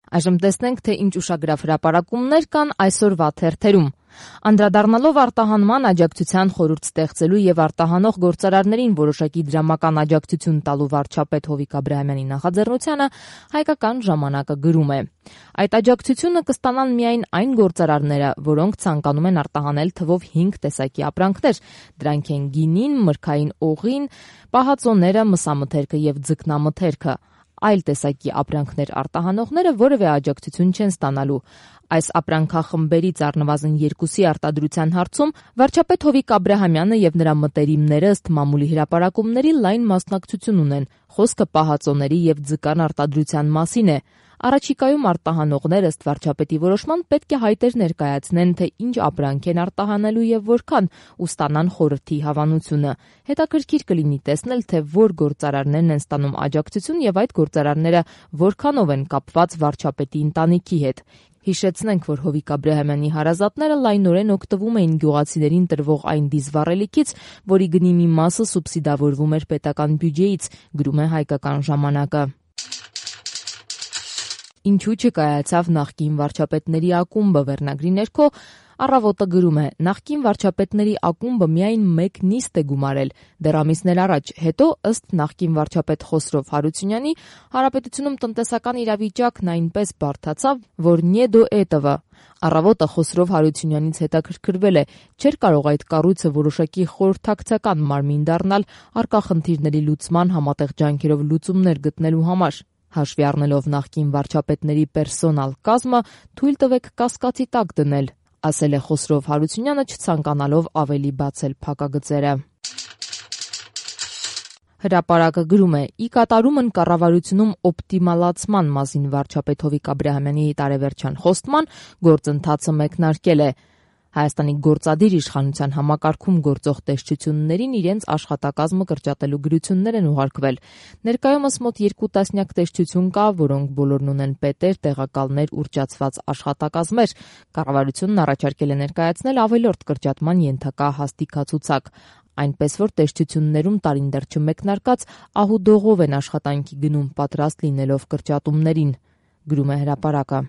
Այժմ տեսնենք, թե ինչ ուշագրավ հրապարակումներ կան այսօրվա թերթերում։ Անդրադառնալով արտահանման աջակցության խորհուրդ ստեղծելու եւ արտահանող գործարարներին որոշակի դրամական աջակցություն տալու վարչապետ Հովիկ Աբրահամյանի նախաձեռնությանը, Հայկական ժամանակը գրում է. այդ աջակցությունը կստանան միայն այն գործարարները, որոնք ցանկանում են արտահանել թվով 5 տեսակի ապրանքներ։ Դրանք են գինին, մրգային օղին, պահածոները, մսամթերքը եւ ձկնամթերքը։ Այլ տեսակի ապրանքներ արտահանողները որևէ աջակցություն չեն ստանալու։ Այս ապրանքախմբերից առնվազն 2-ի արտադրության հարցում վարչապետ Հովիկ Աբրահամյանը եւ նրա մտերիմները ըստ մամուլի հրապարակումների լայն մասնակցություն ունեն։ Խոսքը պահածոների եւ ձկան արտադրության մասին է։ Առաջիկայում արտահանողներ ըստ վարչապետի որոշման պետք է հայտեր ներկայացնեն, թե ինչ ապրանք են արտահանելու եւ որքան, ու ստանան խորհրդի հավանությունը։ Հետաքրքիր կլինի տեսնել, թե որ գործարարներն են ստանում աջակցություն եւ այդ գործարարները որքանով են կապված վարչապետի ընտանիքի հետ։ Հիշեցնենք, որ Հովիկ Աբրահամյանի հարազատները լայնորեն օգտվում էին գյուղացիներին տրվող այն դիզվառելիքից, որի գնի մի մասը սուբսիդավորվում էր պետական բյուջեից, գրում է Հայկական ժամանակը։ Ինչու չկայացավ նախկին վարչապետների ակումբը վերնագրի ներքո Առավոտը գրում է. նախկին վարչապետների ակումբը միայն մեկ նիստ է գումարել դեռ ամիսներ առաջ, հետո ըստ նախկին վարչապետ Խոսրով Հարությունյանի հանրապետությունում տնտեսական իրավիճակն այնպես բարդացավ, որ «նե դո էտովը»։ Առավոտը Խոսրով Հարությունյանից հետաքրքրվել է, չէր կարող այդ կառույցը որոշակի խորհրդակցական մարմին դառնալ առկա խնդիրների լուծման համատեղ ջանքերով լուծումներ գտնելու համար։ Հաշվի առնելով նախկին վարչապետների պերսոնալ կազմը, թույլ տվեք կասկածի տակ դնել, ասել է Խոսրով Հարությունյանը, չցանկանալով ավելի բացել փակագծերը։ Հրապարակը գրում է. ի կատարումն կառավարությունում օպտիմալացման մասին վարչապետ Հովիկ Աբրահամյանի տարեվերջյան խոստման գործընթացը մեկնարկել է։ Հայաստանի գործադիր իշխանության համակարգում գործող տեսչություններին իրենց աշխատակազմը կրճատելու գրություններ են ուղարկվել։ Ներկայումս մոտ 2 տասնյակ տեսչություն կա, որոնք բոլորն ունեն պետեր, տեղակալներ, ուռճացված աշխատակազմեր։ Կառավարությունն առաջարկել է ներկայացնել ավելորդ կրճատման ենթակա հաստիքացուցակ։ Այնպես որ տեսչություններում տարին դեռ չմեկնարկած ահուդողով են աշխատանքի գնում, պատրաստ լինելով կրճատումներին, գրում է հրապարակը։